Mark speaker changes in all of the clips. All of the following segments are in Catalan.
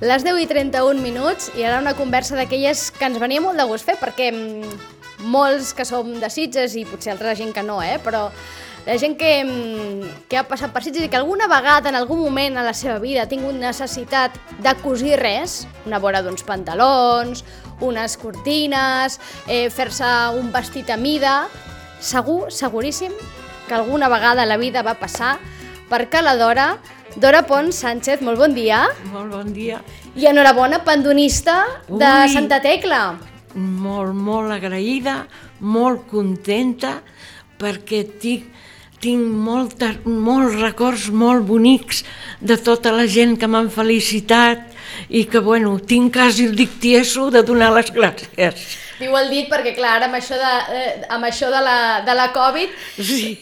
Speaker 1: Les 10:31 i ara una conversa d'aquelles que ens venia molt de gust fer, perquè molts que som de Sitges i potser altra gent que no, però la gent que ha passat per Sitges i que alguna vegada, en algun moment a la seva vida, ha tingut necessitat de cosir res, una vora d'uns pantalons, unes cortines, fer-se un vestit a mida, seguríssim que alguna vegada a la vida va passar perquè la Dora Pons Sánchez, molt bon dia.
Speaker 2: Molt bon dia.
Speaker 1: I enhorabona, pandonista de Santa Tecla.
Speaker 2: Molt agraïda, molt contenta, perquè tinc molts records molt bonics de tota la gent que m'han felicitat i que, tinc quasi el dictieso de donar les gràcies.
Speaker 1: Diu el dit perquè, clar, amb això de la Covid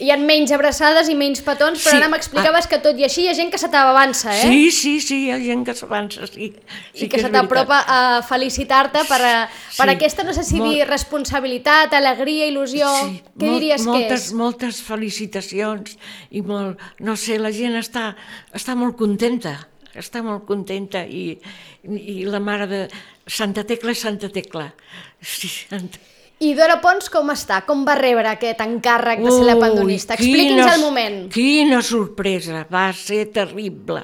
Speaker 1: hi ha menys abraçades i menys petons, però ara m'explicaves que tot i així hi ha gent que se t'avança,
Speaker 2: Sí, hi ha gent que s'avança, sí.
Speaker 1: I que se t'apropa a felicitar-te per aquesta, no sé si dir responsabilitat, alegria, il·lusió, què diries que és?
Speaker 2: Moltes felicitacions i no sé, la gent està molt contenta. Està molt contenta i la mare de Santa Tecla és Santa Tecla. Sí,
Speaker 1: I Dora Pons com està? Com va rebre aquest encàrrec de ser la pandonista? Expliqui'ns el moment.
Speaker 2: Quina sorpresa, va ser terrible.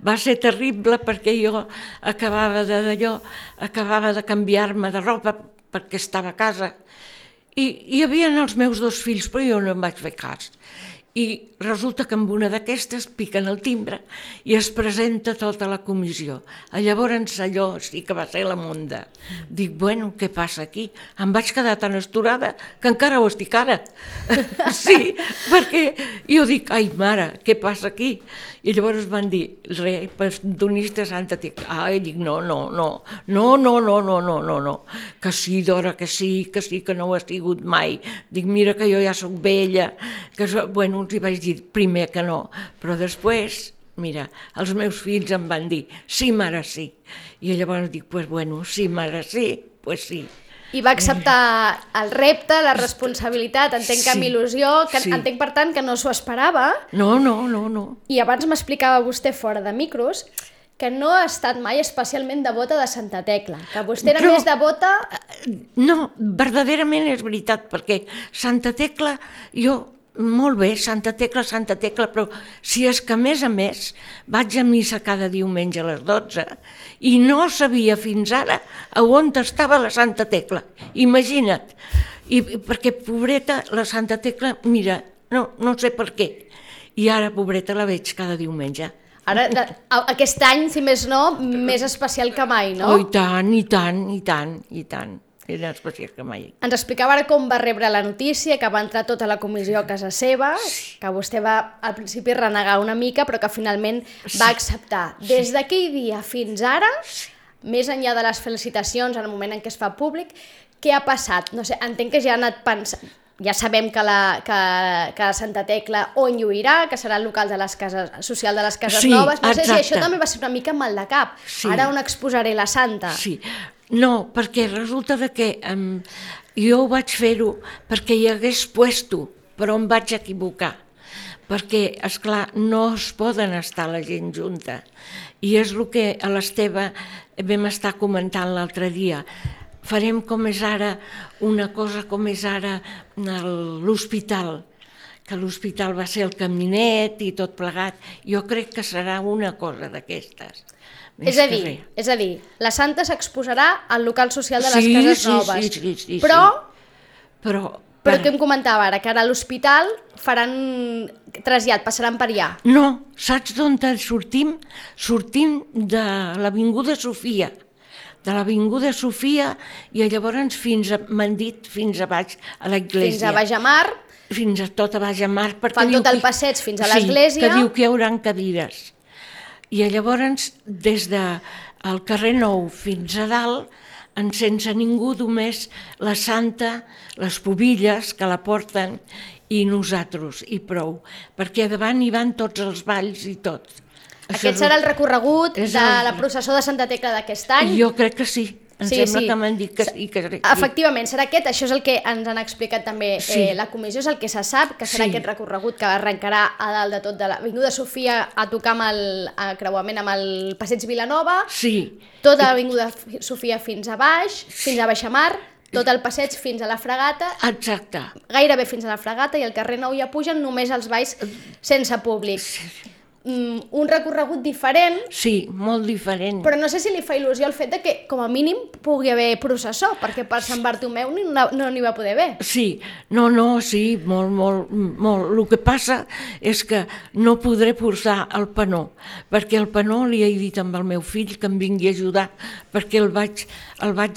Speaker 2: Va ser terrible perquè jo acabava de canviar-me de roba perquè estava a casa i hi havia els meus dos fills, però jo no em vaig fer cas. I resulta que amb una d'aquestes piquen el timbre i es presenta tota la comissió. Llavors allò sí que va ser la monda. Dic, què passa aquí? Em vaig quedar tan esturada que encara ho estic ara. Sí, perquè jo dic, ai mare, què passa aquí? I llavors van dir, pandonista Santa Tecla. Ai, dic, no, que sí, Dora, que sí, que no ho ha sigut mai. Dic, mira que jo ja soc vella, els hi vaig dir primer que no, però després, mira, els meus fills em van dir, sí, mare, sí. I llavors dic, sí, mare, sí, sí.
Speaker 1: I va acceptar el repte, la responsabilitat, entenc que amb il·lusió, que entenc per tant que no s'ho esperava.
Speaker 2: No.
Speaker 1: I abans m'explicava vostè fora de micros que no ha estat mai especialment devota de Santa Tecla, que vostè era més devota...
Speaker 2: No, verdaderament és veritat, perquè Santa Tecla, molt bé, Santa Tecla, però si és que a més vaig a missa cada diumenge a les 12 i no sabia fins ara a on estava la Santa Tecla, imagina't. I perquè, pobreta, la Santa Tecla, mira, no sé per què, i ara, pobreta, la veig cada diumenge.
Speaker 1: Ara, aquest any, si més no, més especial que mai, no?
Speaker 2: Oh, i tant. Era especial que mai.
Speaker 1: Ens explicava ara com va rebre la notícia, que va entrar tota la comissió a casa seva, que vostè va al principi renegar una mica, però que finalment va acceptar. Des d'aquell dia fins ara, més enllà de les felicitacions, en el moment en què es fa públic, què ha passat? No sé, entenc que ja ha anat pensant... Ja sabem que la Santa Tecla on lluirà, que serà el local de les cases, social de les cases noves. No sé si això també va ser una mica mal de cap. Ara on exposaré la Santa.
Speaker 2: Sí, no, perquè resulta que jo ho vaig fer-ho perquè hi hagués puesto, però em vaig equivocar. Perquè, esclar, no es poden estar la gent junta. I és el que a l'Esteve vam estar comentant l'altre dia. Farem com és ara, una cosa com és ara l'hospital, que l'hospital va ser el caminet i tot plegat. Jo crec que serà una cosa d'aquestes.
Speaker 1: És a dir, la Santa s'exposarà al local social de les cases noves.
Speaker 2: Sí.
Speaker 1: Però què em comentava ara? Que ara a l'hospital faran trasllat, passaran per allà.
Speaker 2: No, saps d'on sortim? Sortim de l'Avinguda Sofia. De l'Avinguda Sofia i llavors m'han dit fins a baix a l'església.
Speaker 1: Fins a Baix a Mar.
Speaker 2: Fins a tot a Baix a Mar.
Speaker 1: Fan tot el passeig fins a l'església.
Speaker 2: Sí, que diu que hi haurà cadires. I llavors des del carrer Nou fins a dalt, sense ningú, només la Santa, les pobilles que la porten i nosaltres, i prou. Perquè davant hi van tots els balls i tot.
Speaker 1: Aquest serà el recorregut de la processó de Santa Tecla d'aquest any?
Speaker 2: Jo crec que sí. sembla que m'han dit que sí.
Speaker 1: Efectivament, serà aquest, això és el que ens han explicat també la comissió, és el que se sap, que serà aquest recorregut que arrencarà a dalt de tot de l'Avinguda Sofia a tocar amb el creuament amb el Passeig Vilanova, tota l'Avinguda Sofia fins a baix, fins a Baixamar, tot el passeig fins a la Fragata, gairebé fins a la Fragata, i el carrer Nou ja pugen només els balls sense públic. Un recorregut diferent.
Speaker 2: Sí, molt diferent.
Speaker 1: Però no sé si li fa il·lusió el fet de que, com a mínim, pugui haver processó, perquè per Sant Bartomeu no n'hi va poder haver.
Speaker 2: Sí, sí, molt. El que passa és que no podré portar el panó, perquè el panó li he dit amb el meu fill que em vingui a ajudar, perquè el vaig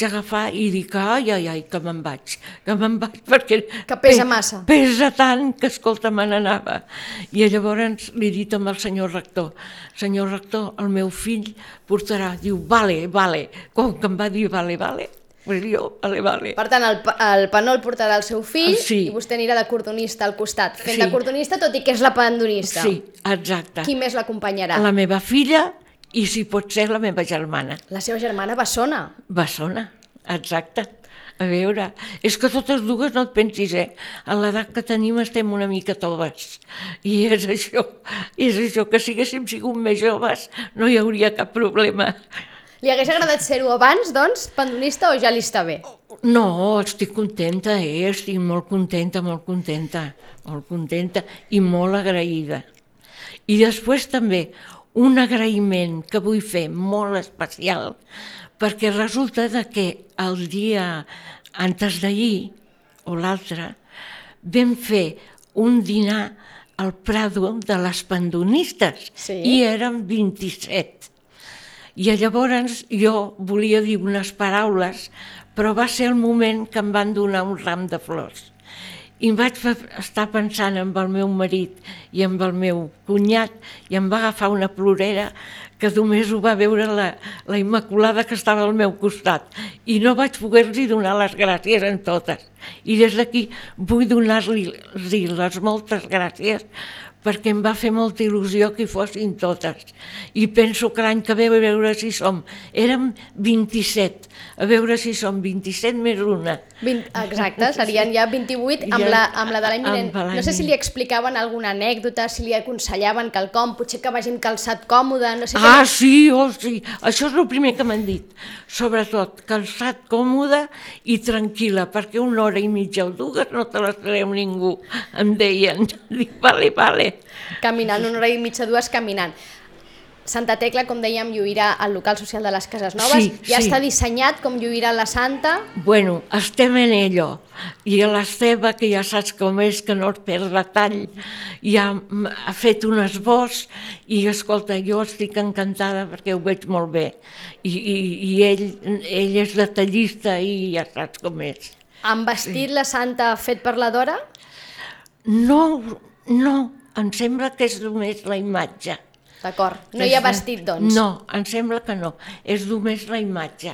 Speaker 2: agafar i dic, ai, que me'n vaig, perquè...
Speaker 1: Que pesa massa.
Speaker 2: Pesa tant que, escolta, me n'anava. I llavors li he dit amb el senyor rector, el meu fill portarà, diu, vale, com que em va dir vale, pues jo, vale.
Speaker 1: Per tant, el panó el portarà el seu fill i vostè anirà de cordonista al costat, fent de cordonista, tot i que és la pandonista.
Speaker 2: Sí, exacte.
Speaker 1: Qui més l'acompanyarà?
Speaker 2: La meva filla i, si pot ser, la meva germana.
Speaker 1: La seva germana Bessona.
Speaker 2: Bessona, exacte. A veure, és que totes dues no et pensis, a l'edat que tenim estem una mica toves, i és això, que si haguéssim sigut més joves no hi hauria cap problema.
Speaker 1: Li hagués agradat ser-ho abans, doncs, pandonista, o ja li està bé?
Speaker 2: No, estic contenta, estic molt contenta i molt agraïda. I després també un agraïment que vull fer molt especial, perquè resulta que el dia antes d'ahir, o l'altre, vam fer un dinar al Prado de les pandonistes, i érem 27. I llavors jo volia dir unes paraules, però va ser el moment que em van donar un ram de flors. I em vaig estar pensant en el meu marit i en el meu cunyat, i em va agafar una plorera que només ho va veure la Immaculada, que estava al meu costat, i no vaig poder-li donar les gràcies en totes. I des d'aquí vull donar-li les moltes gràcies, perquè em va fer molta il·lusió que hi fossin totes. I penso que l'any que ve, a veure si érem 27, a veure si som 27 més una.
Speaker 1: Exacte, serien ja 28 amb la de l'any vinent. No sé si li explicaven alguna anècdota, si li aconsellaven quelcom, potser que vagin calçat còmode, no sé...
Speaker 2: Sí, això és el primer que m'han dit. Sobretot, calçat còmode i tranquil·la, perquè una hora i mitja o dues no te les treu ningú, em deien. Dic, vale.
Speaker 1: Caminant, una hora i mitja, dues caminant. Santa Tecla, com dèiem, lluirà al local social de les Cases Noves. Ja està dissenyat com lluirà la Santa?
Speaker 2: Bueno, estem en ello. I l'Esteve, que ja saps com és, que no es perd la tall, ja ha fet un esbós i, escolta, jo estic encantada perquè ho veig molt bé. I ell és detallista i ja saps com és.
Speaker 1: Han vestit la Santa fet per la Dora?
Speaker 2: No, em sembla que és només la imatge.
Speaker 1: D'acord, no hi ha vestit, doncs?
Speaker 2: No, em sembla que no, és només la imatge.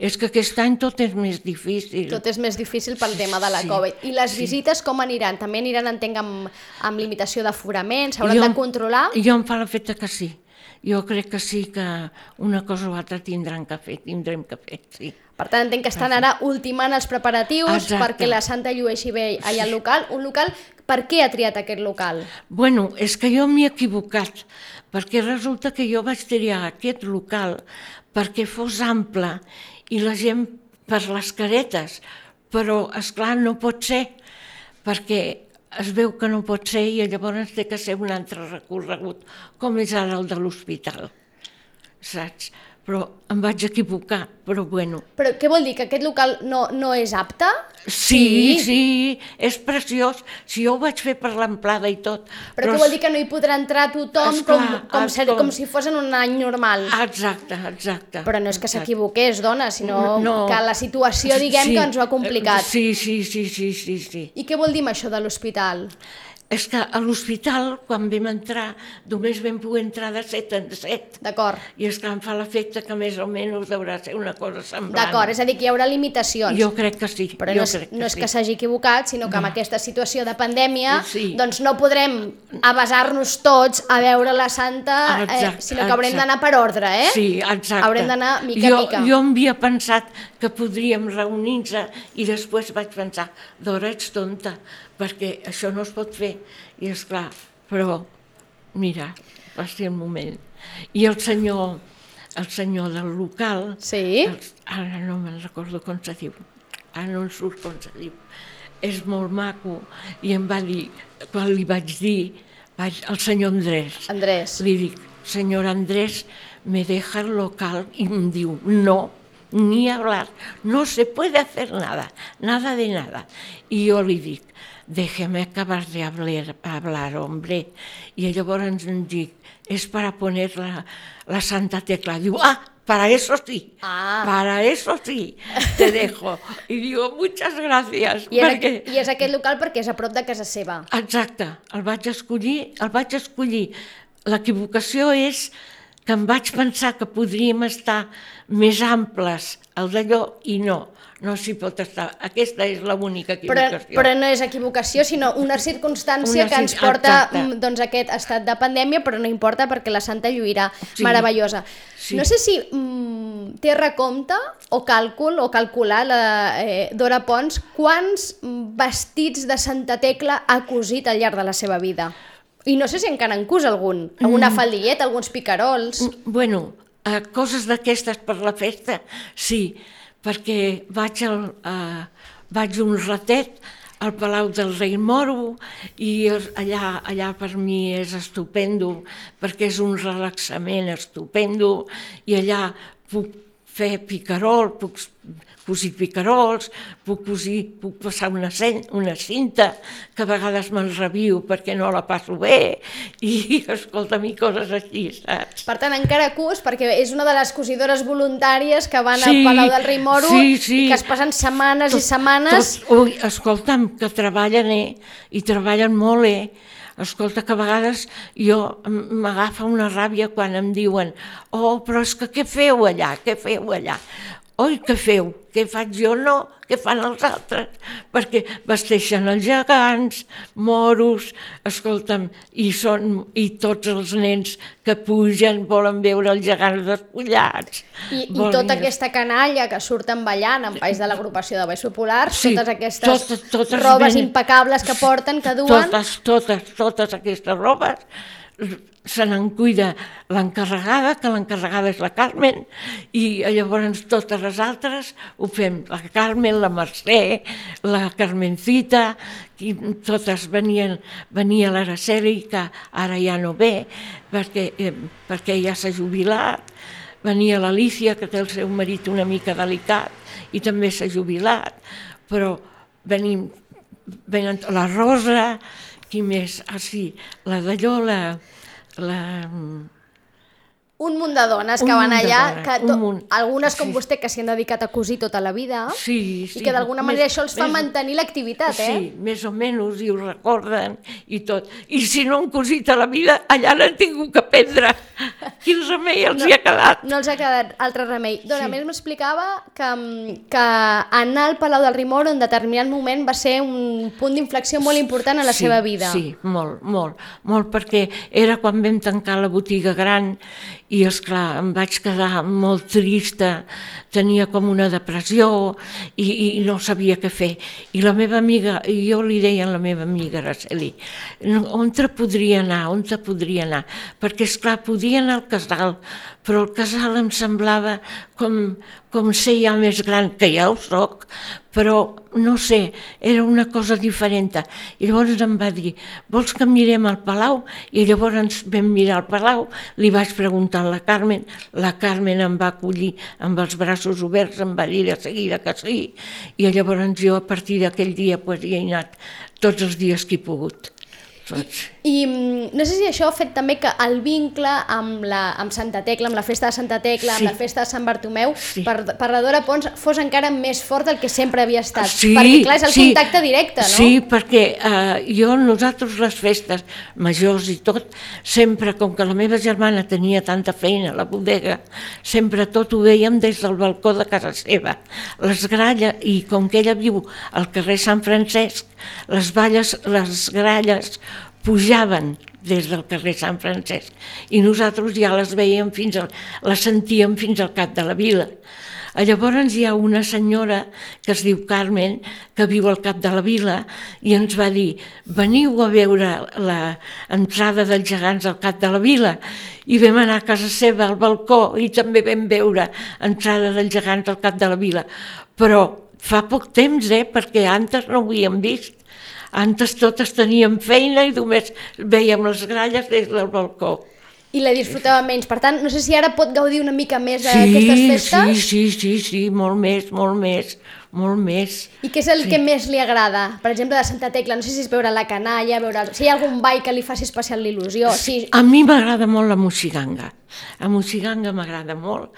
Speaker 2: És que aquest any tot és més difícil.
Speaker 1: Tot és més difícil pel tema de la Covid. I les visites com aniran? També aniran, entenc, amb limitació d'aforament? S'hauran de controlar?
Speaker 2: Jo em fa l'efecte que sí. Jo crec que sí, que una cosa o altra tindrem que fer, sí.
Speaker 1: Per tant, entenc que estan ara ultimant els preparatius perquè la Santa llueixi bé allà al local. Un local, per què ha triat aquest local?
Speaker 2: Bueno, és que jo m'he equivocat, perquè resulta que jo vaig triar aquest local perquè fos ample i la gent per les caretes, però, esclar, no pot ser, perquè es veu que no pot ser i llavors té que ser un altre recorregut, com és ara el de l'hospital, saps? Però em vaig equivocar, però bueno.
Speaker 1: Però què vol dir, que aquest local no és apte?
Speaker 2: Sí, és preciós. Si jo ho vaig fer per l'amplada i tot.
Speaker 1: Però què vol dir, que no hi podrà entrar tothom com si fos en un any normal?
Speaker 2: Exacte.
Speaker 1: Però no és que s'equivoqués, dona, sinó que la situació, diguem, que ens ho ha complicat.
Speaker 2: Sí.
Speaker 1: I què vol dir això de l'hospital?
Speaker 2: És que a l'hospital, quan vam entrar, només vam poder entrar de 7 en 7.
Speaker 1: D'acord.
Speaker 2: I és que em fa l'efecte que més o menys deurà ser una cosa semblant.
Speaker 1: D'acord, és a dir, que hi haurà limitacions.
Speaker 2: Jo crec que sí.
Speaker 1: Però no és que s'hagi equivocat, sinó que amb aquesta situació de pandèmia doncs no podrem avasar-nos tots a veure la Santa, sinó que haurem d'anar per ordre, eh?
Speaker 2: Sí, exacte.
Speaker 1: Haurem d'anar mica a mica.
Speaker 2: Jo havia pensat que podríem reunir-nos i després vaig pensar, Dora, ets tonta, perquè això no es pot fer. I esclar, però mira, va ser el moment. I el senyor del local, ara no me'n recordo com se diu, ara no em surt com se diu, és molt maco, i em va dir, quan li vaig dir, al senyor Andrés, li dic, senyor Andrés, me deja el local, i em diu, no, ni hablar, no se puede hacer nada, nada de nada. I jo li dic, déjeme acabar de hablar, hombre. I llavors em dic, és para poner la Santa Tecla. Diu, para eso sí, para eso sí, te dejo. I digo, muchas gracias.
Speaker 1: I és aquest local perquè és a prop de casa seva.
Speaker 2: Exacte, el vaig escollir. L'equivocació és que em vaig pensar que podríem estar més amples al d'allò i no s'hi pot estar. Aquesta és l'única equivocació.
Speaker 1: Però no és equivocació, sinó una circumstància que ens porta doncs, aquest estat de pandèmia, però no importa perquè la Santa lluirà meravellosa. No sé si té recompte o càlcul o calcular la Dora Pons quants vestits de Santa Tecla ha cosit al llarg de la seva vida. I no sé si encara en cus algun, alguna faldilleta, alguns picarols...
Speaker 2: Bueno, coses d'aquestes per la festa, sí, perquè vaig un ratet al Palau del Rei Moro i allà per mi és estupendo, perquè és un relaxament estupendo i allà puc fer picarol, puc cosir picarols, puc passar una cinta, que a vegades me'n rebio perquè no la passo bé, i escolta'm, i coses així, saps?
Speaker 1: Per tant, encara cus, perquè és una de les cosidores voluntàries que van al Palau del Rei Moro i que es passen setmanes i setmanes...
Speaker 2: Escolta'm, que treballen, i treballen molt, Escolta, que a vegades m'agafa una ràbia quan em diuen però és que què feu allà, Oi, què feu? Què faig jo? No, què fan els altres? Perquè vesteixen els gegants, moros, escolta'm, i tots els nens que pugen volen veure els gegants despullats.
Speaker 1: I tota aquesta canalla que surten ballant en país de l'agrupació de Balls Populars, totes aquestes robes impecables que porten, que duen...
Speaker 2: Totes aquestes robes se n'en cuida l'encarregada, que l'encarregada és la Carmen, i llavors totes les altres ho fem, la Carmen, la Mercè, la Carmencita, i totes venia l'Araceli, que ara ja no ve, perquè ja s'ha jubilat, venia l'Alicia, que té el seu marit una mica delicat i també s'ha jubilat, però venen la Rosa, qui més? La d'allò,
Speaker 1: un munt de dones que van allà, algunes com vostè que s'hi han dedicat a cosir tota la vida i que d'alguna manera això els fa mantenir l'activitat,
Speaker 2: Sí, més o menys, i ho recorden i tot. I si no han cosit a la vida, allà n'han tingut que prendre. Quin remei els hi ha quedat?
Speaker 1: No els ha quedat altre remei. Doncs a més m'explicava que anar al Palau del Rei Moro en determinat moment va ser un punt d'inflexió molt important en la seva vida.
Speaker 2: Sí, molt, perquè era quan vam tancar la botiga gran i, esclar, em vaig quedar molt trista, tenia com una depressió i no sabia què fer. I la meva amiga, jo li deia a la meva amiga Araceli, on te podria anar? Perquè, esclar, podia anar al casal, però el casal em semblava com ser ja més gran, que ja ho soc, però no sé, era una cosa diferent. I llavors em va dir, vols que mirem al Palau? I llavors vam mirar al Palau, li vaig preguntar a la Carmen em va acollir amb els braços oberts, em va dir de seguida que sí, i llavors jo a partir d'aquell dia hi he anat tots els dies que he pogut.
Speaker 1: I no sé si això ha fet també que el vincle amb Santa Tecla, amb la festa de Santa Tecla, amb la festa de Sant Bartomeu, per la Dora Pons fos encara més fort del que sempre havia estat. Perquè, clar, és el contacte directe, no?
Speaker 2: Sí, perquè nosaltres les festes majors i tot, sempre, com que la meva germana tenia tanta feina a la bodega, sempre tot ho veiem des del balcó de casa seva. Les gralles, i com que ella viu al carrer Sant Francesc, les gralles pujaven des del carrer Sant Francesc i nosaltres ja les veiem les sentíem fins al cap de la vila. Llavors hi ha una senyora que es diu Carmen, que viu al cap de la vila, i ens va dir: veniu a veure l'entrada dels gegants al cap de la vila. I vam anar a casa seva al balcó i també vam veure entrada dels gegants al cap de la vila. Però fa poc temps, perquè antes no ho havíem vist. Antes totes teníem feina i només veiem les gralles des del balcó.
Speaker 1: I la disfrutava menys. Per tant, no sé si ara pot gaudir una mica més d'aquestes festes?
Speaker 2: Sí, molt més.
Speaker 1: I què és el que més li agrada? Per exemple, de Santa Tecla, no sé si és veure la canalla, si hi ha algun ball que li faci especial il·lusió.
Speaker 2: A mi m'agrada molt la moixiganga. La moixiganga m'agrada molt.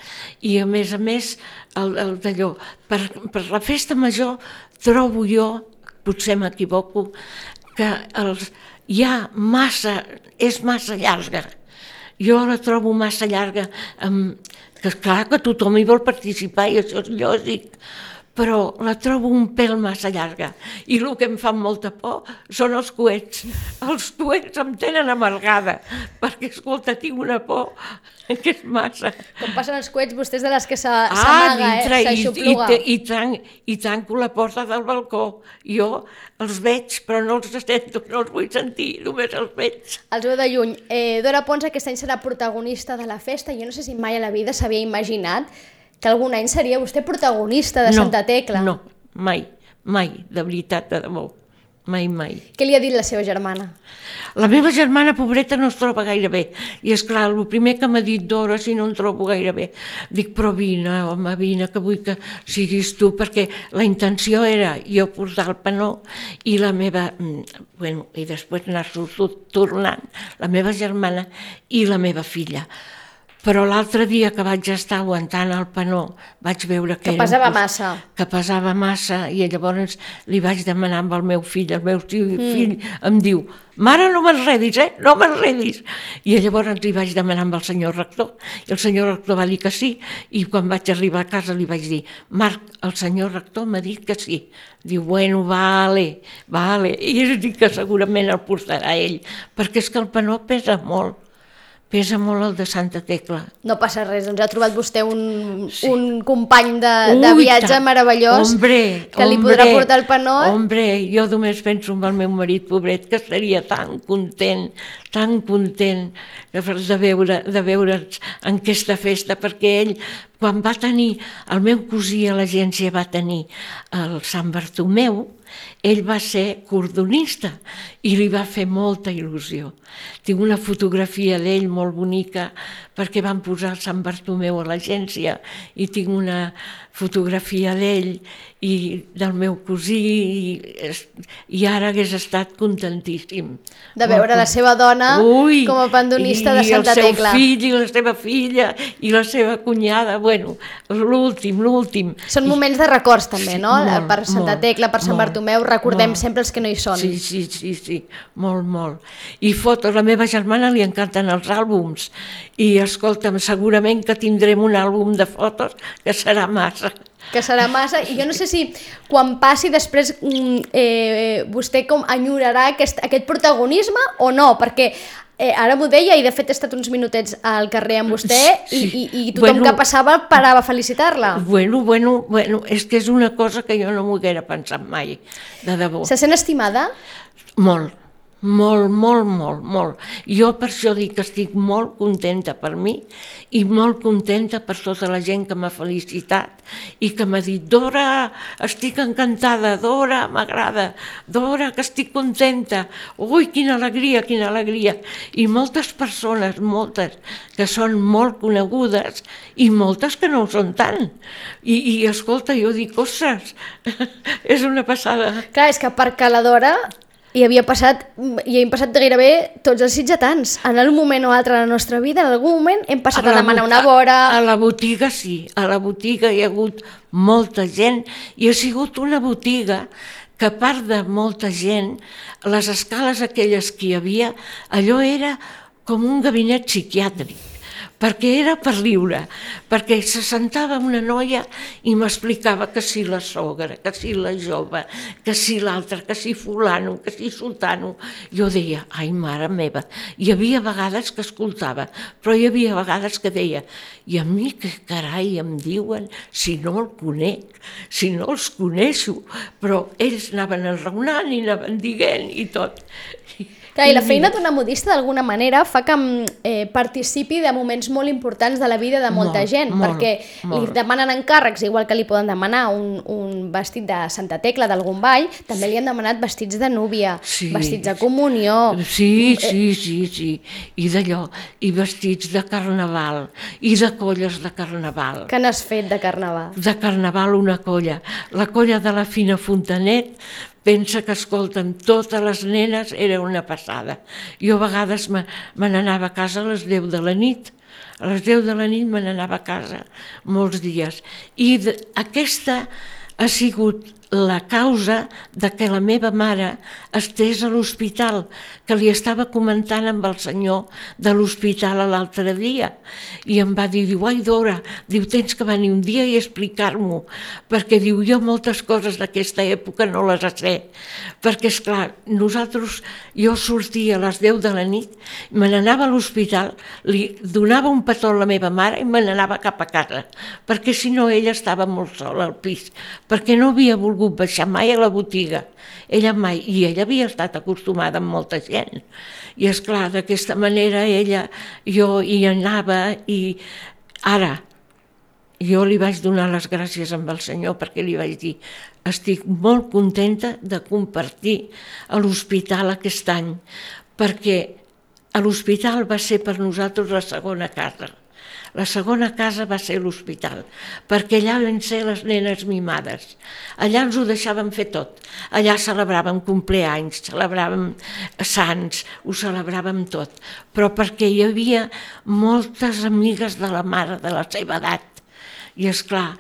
Speaker 2: I a més, el d'allò. Per la festa major trobo jo, potser m'equivoco, que és massa llarga. Jo la trobo massa llarga, que clar que tothom hi vol participar i això és lògic, però la trobo un pèl massa llarga. I el que em fa molta por són els coets. Els coets em tenen amargada, perquè, escolta, tinc una por que és massa.
Speaker 1: Com passen els coets, vostès de les que s'amaga, s'aixopluga.
Speaker 2: I tanco la porta del balcó. Jo els veig, però no els sento, no els vull sentir, només els veig.
Speaker 1: Els veu de lluny. Dora Pons aquest any serà protagonista de la festa. Jo no sé si mai a la vida s'havia imaginat que algun any seria vostè protagonista de Santa Tecla.
Speaker 2: No, mai, de veritat, de debò, mai.
Speaker 1: Què li ha dit la seva germana?
Speaker 2: La meva germana, pobreta, no es troba gaire bé. I esclar, el primer que m'ha dit: Dora, si no em trobo gaire bé. Dic: però vine, home, vine, que vull que siguis tu, perquè la intenció era jo portar el panó i la meva, i després anar tornant, la meva germana i la meva filla. Però l'altre dia que vaig estar aguantant el panó vaig veure que
Speaker 1: pesava massa.
Speaker 2: Que pesava massa, i llavors li vaig demanar amb el meu fill fill em diu: mare, no m'enredis, no m'enredis. I llavors li vaig demanar amb el senyor rector, i el senyor rector va dir que sí, i quan vaig arribar a casa li vaig dir: Marc, el senyor rector m'ha dit que sí. Diu: bueno, vale. I és dir que segurament el portarà ell, perquè és que el panó pesa molt el de Santa Tecla.
Speaker 1: No passa res, doncs ha trobat vostè un company de viatge meravellós que li podrà portar el panó.
Speaker 2: Jo només penso en el meu marit, pobret, que estaria tan content de veure'ns en aquesta festa, perquè ell, quan va tenir, el meu cosí a l'agència va tenir el Sant Bartomeu, ell va ser cordonista i li va fer molta il·lusió. Tinc una fotografia d'ell molt bonica perquè van posar el Sant Bartomeu a l'agència i tinc una fotografia d'ell i del meu cosí i ara hagués estat contentíssim.
Speaker 1: De veure la seva dona com a pandonista de Santa Tecla.
Speaker 2: I el seu fill i la seva filla i la seva cunyada, l'últim.
Speaker 1: Són moments de records també, no? Per Santa Tecla, per Sant Bartomeu, recordem sempre els que no hi són.
Speaker 2: Sí, molt. I fotos, la meva germana li encanten els àlbums i escolta'm, segurament que tindrem un àlbum de fotos que serà massa.
Speaker 1: I jo no sé si quan passi després vostè com enyorarà aquest protagonisme o no, perquè ara m'ho deia i de fet he estat uns minutets al carrer amb vostè i tothom que passava parava a felicitar-la.
Speaker 2: És que és una cosa que jo no m'ho haguera pensat mai, de debò.
Speaker 1: Se sent estimada?
Speaker 2: Molt. Jo per això dic que estic molt contenta per mi i molt contenta per tota la gent que m'ha felicitat i que m'ha dit: Dora, estic encantada, Dora, m'agrada, Dora, que estic contenta, ui, quina alegria. I moltes persones, que són molt conegudes i moltes que no ho són tant. I escolta, jo dic: ostres, és una passada.
Speaker 1: Clar, és que perquè la Dora I havien passat gairebé tots els sitgetans. En un moment o altre de la nostra vida, en algun moment hem passat a demanar una vora...
Speaker 2: A la botiga sí, a la botiga hi ha hagut molta gent i ha sigut una botiga que a part de molta gent, les escales aquelles que hi havia, allò era com un gabinet psiquiàtric, perquè era per riure, perquè se sentava una noia i m'explicava que si la sogra, que si la jove, que si l'altra, que si fulano, que si sultano. Jo deia, ai, mare meva, hi havia vegades que escoltava, però hi havia vegades que deia, i a mi què carai em diuen si no el conec, si no els coneixo, però ells anaven enraonant i anaven dient i tot.
Speaker 1: Clar, i la feina d'una modista d'alguna manera fa que participi de moments molt importants de la vida de molta gent, perquè li demanen encàrrecs, igual que li poden demanar un vestit de Santa Tecla d'algun ball, també li han demanat vestits de núvia, vestits de comunió...
Speaker 2: Sí, i d'allò, i vestits de carnaval, i de colles de carnaval.
Speaker 1: Què n'has fet de carnaval?
Speaker 2: De carnaval una colla, la colla de la Fina Fontanet. Pensa que, escolta'm, totes les nenes era una passada. Jo a vegades me n'anava a casa a les 10 de la nit. A les 10 de la nit me n'anava a casa molts dies. I aquesta ha sigut la causa de que la meva mare estés a l'hospital, que li estava comentant amb el senyor de l'hospital l'altre dia, i em va dir, ai Dora, diu, tens que venir un dia i explicar-m'ho, perquè diu, jo moltes coses d'aquesta època no les sé, perquè esclar, jo sortia a les 10 de la nit, me n'anava a l'hospital, li donava un petó a la meva mare i me n'anava cap a casa, perquè si no ella estava molt sola al pis, perquè no havia volgut baixar mai a la botiga, ella mai, i ella havia estat acostumada amb molta gent, i esclar, d'aquesta manera jo hi anava i ara jo li vaig donar les gràcies amb el senyor perquè li vaig dir, estic molt contenta de compartir a l'hospital aquest any, perquè a l'hospital va ser per nosaltres la segona casa. La segona casa va ser l'hospital, perquè allà van ser les nenes mimades. Allà ens ho deixàvem fer tot. Allà celebràvem compleanys, celebràvem sants, ho celebràvem tot. Però perquè hi havia moltes amigues de la mare de la seva edat. I esclar,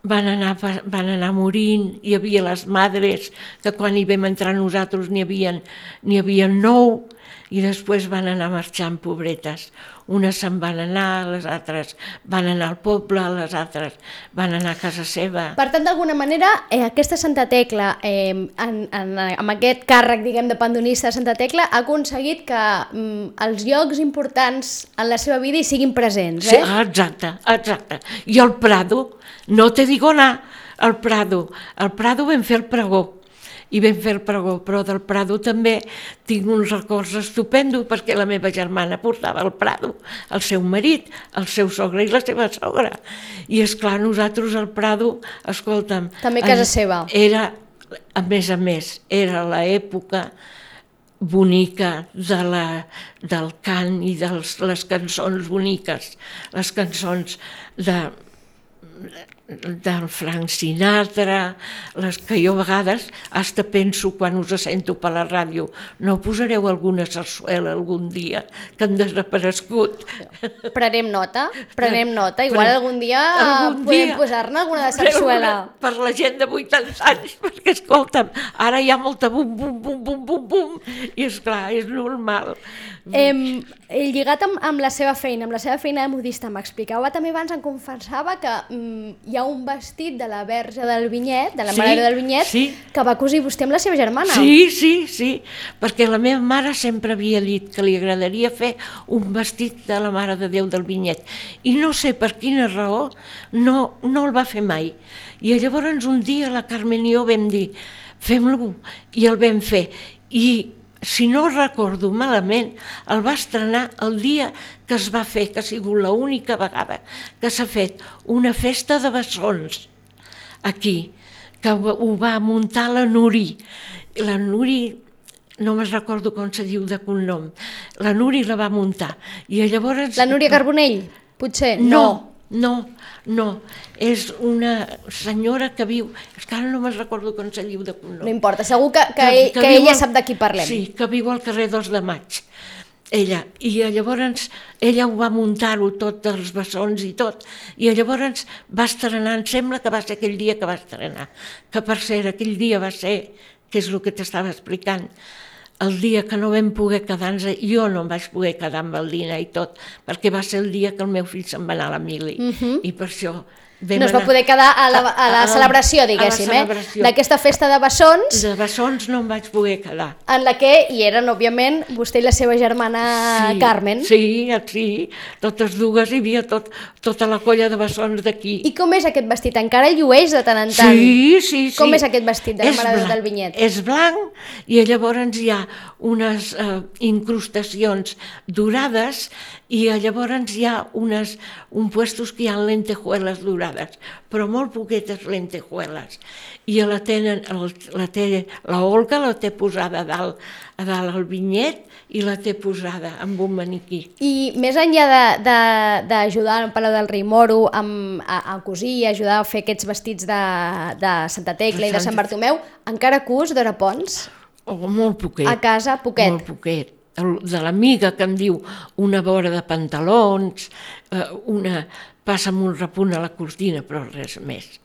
Speaker 2: van anar morint, hi havia les madres, que quan hi vam entrar nosaltres n'hi havia 9, i després van anar marxant pobretes. Unes se'n van anar, les altres van anar al poble, les altres van anar a casa seva.
Speaker 1: Per tant, d'alguna manera, aquesta Santa Tecla, amb aquest càrrec, diguem, de pandonista de Santa Tecla, ha aconseguit que els llocs importants en la seva vida hi siguin presents,
Speaker 2: Sí, exacte. I el Prado, no te digo anar, al Prado vam fer el pregó. I vam fer el pregó, però del Prado també tinc uns records estupendos perquè la meva germana portava al Prado, el seu marit, el seu sogre i la seva sogra. I esclar, nosaltres al Prado, escolta'm...
Speaker 1: També casa seva.
Speaker 2: Era, a més, era l'època bonica del cant i de les cançons boniques, les cançons del Frank Sinatra, les que jo a vegades hasta penso quan us sento per la ràdio, no posareu alguna sarsuela algun dia que han desaparegut.
Speaker 1: Prenem nota, igual algun dia podem posar-ne alguna de sarsuela.
Speaker 2: Per la gent de 80 anys, perquè escolta'm, ara hi ha molta bum, bum, bum, bum, bum, bum, i esclar, és normal.
Speaker 1: Lligat amb la seva feina de modista, m'explicava també abans, em confessava que hi ha un vestit de la Verge del Vinyet, de la Mare del Vinyet, que va cosir vostè amb la seva germana.
Speaker 2: Sí, perquè la meva mare sempre havia dit que li agradaria fer un vestit de la Mare de Déu del Vinyet, i no sé per quina raó no el va fer mai. I llavors un dia la Carmen i jo vam dir, fem-lo, i el vam fer. I si no recordo malament, el va estrenar el dia que es va fer, que ha sigut l'única vegada que s'ha fet una festa de bessons aquí, que ho va muntar la Nuri. La Nuri, no me'n recordo com se diu de cognom, la Nuri la va muntar. I llavors...
Speaker 1: La Núria Carbonell, potser?
Speaker 2: No, No, és una senyora que viu, és que ara no me'n recordo com se diu de cognom.
Speaker 1: No importa, segur que ella sap de qui parlem.
Speaker 2: Sí, que viu al carrer 2 de Maig, ella, i llavors ella ho va muntar-ho tot, dels bessons i tot, i llavors va estrenar, em sembla que va ser aquell dia que va estrenar, que per cert, aquell dia va ser, que és el que t'estava explicant, el dia que no vam poder quedar-nos, jo no em vaig poder quedar amb el dinar i tot, perquè va ser el dia que el meu fill se'n va anar a la mili, i per això
Speaker 1: no es va poder quedar a la celebració, diguéssim, d'aquesta festa de bessons.
Speaker 2: De bessons no em vaig poder quedar.
Speaker 1: En la que hi eren, òbviament, vostè i la seva germana Carmen.
Speaker 2: Sí, totes dues, hi havia tota la colla de bessons d'aquí.
Speaker 1: I com és aquest vestit? Encara llueix de tant en tant?
Speaker 2: Sí.
Speaker 1: Com és aquest vestit de la Mare del Vinyet?
Speaker 2: És blanc i llavors hi ha unes incrustacions dorades i llavors hi ha un puestos que hi ha lentejuelas dorades, però molt poquetes lentejuelas. I la Olga la té posada a dalt al vinyet i la té posada amb un maniquí.
Speaker 1: I més enllà d'ajudar al Palau del Rei Moro a cosir, ajudar a fer aquests vestits de Santa Tecla i de Sant Bartomeu, encara cus, Dora Pons?
Speaker 2: Molt poquet.
Speaker 1: A casa, poquet?
Speaker 2: Molt poquet. De l'amiga que em diu una vora de pantalons, passa'm un repunt a la cortina, però res més.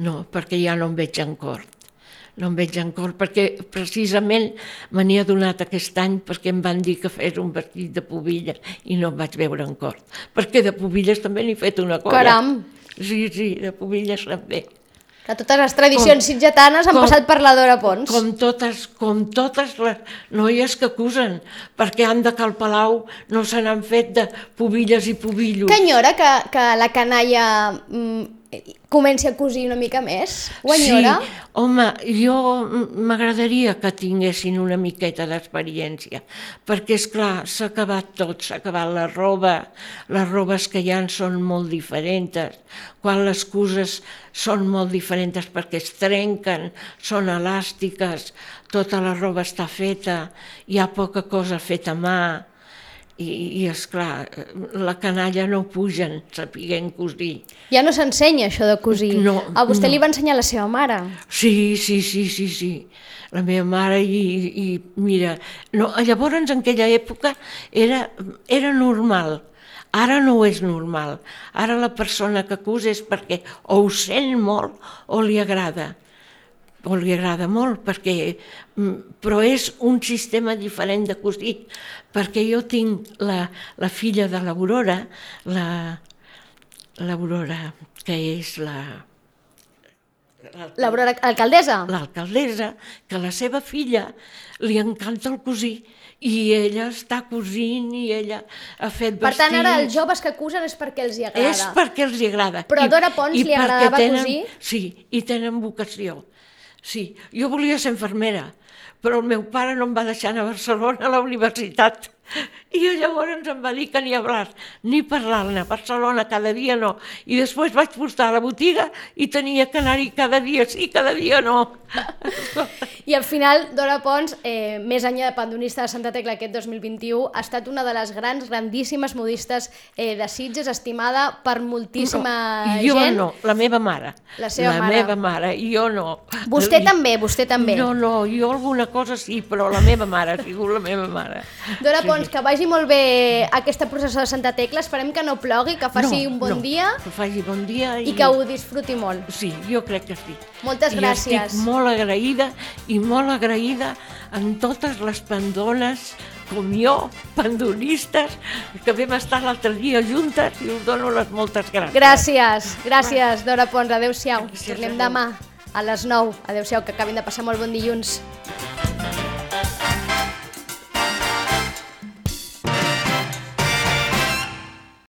Speaker 2: No, perquè ja no em veig en cort. No em veig en cort, perquè precisament me n'hi ha donat aquest any perquè em van dir que fes un vestit de pubilles i no em vaig veure en cort. Perquè de pubilles també n'he fet una colla.
Speaker 1: Caram!
Speaker 2: Sí, de pubilles també.
Speaker 1: Que totes les tradicions sitgetanes han passat per la Dora Pons.
Speaker 2: Com totes les noies que cusen, perquè han de que al Palau no se n'han fet de pubilles i pubillos.
Speaker 1: Que enyora que la canalla comenci a cosir una mica més? Ho enyora?
Speaker 2: Sí, home, jo m'agradaria que tinguessin una miqueta d'experiència, perquè, esclar, s'ha acabat tot, s'ha acabat la roba, les robes que hi ha són molt diferents, quan les cuses són molt diferents perquè es trenquen, són elàstiques, tota la roba està feta, hi ha poca cosa feta a mà, i esclar, la canalla no pugen sapiguent cosir.
Speaker 1: Ja no s'ensenya això de cosir.
Speaker 2: No.
Speaker 1: A vostè li va ensenyar la seva mare?
Speaker 2: Sí. La meva mare i mira, llavors en aquella època era normal. Ara no és normal. Ara la persona que cus és perquè o ho sent molt o li agrada. O li agrada molt, però és un sistema diferent de cosir, perquè jo tinc la filla de l'Aurora, l'Aurora, que és
Speaker 1: l'Aurora, alcaldessa?
Speaker 2: L'alcaldessa, que la seva filla li encanta el cosir, i ella està cosint i ella ha fet vestits.
Speaker 1: Per tant, ara els joves que cusen és perquè els hi agrada.
Speaker 2: És perquè els hi agrada.
Speaker 1: Però a Dora Pons li agradava cosir?
Speaker 2: Sí, i tenen vocació. Sí, jo volia ser infermera, però el meu pare no em va deixar anar a Barcelona a la universitat. I llavors em va dir que ni hablar, ni parlar-ne, a Barcelona cada dia no. I després vaig portar a la botiga i tenia que anar-hi cada dia sí, cada dia no.
Speaker 1: I al final, Dora Pons, més enllà de pandonista de Santa Tecla aquest 2021, ha estat una de les grandíssimes modistes de Sitges, estimada per moltíssima gent.
Speaker 2: Jo no, la meva mare.
Speaker 1: La seva mare.
Speaker 2: La meva mare, jo no.
Speaker 1: Vostè també, vostè també.
Speaker 2: No, jo alguna cosa sí, però la meva mare ha sigut la meva mare.
Speaker 1: Dora Pons, que vagi molt bé aquesta processó de Santa Tecla, esperem que no plogui, que faci un bon dia.
Speaker 2: Que faci bon dia.
Speaker 1: I que ho disfruti molt.
Speaker 2: Sí, jo crec que sí.
Speaker 1: Moltes gràcies.
Speaker 2: I estic molt agraïda amb totes les pandones, com jo, pandonistes, que vam estar l'altre dia juntes i us dono les moltes gràcies.
Speaker 1: Gràcies, Dora Pons. Adéu-siau. Tornem demà a les 9. Adéu-siau, que acabin de passar molt bon dilluns.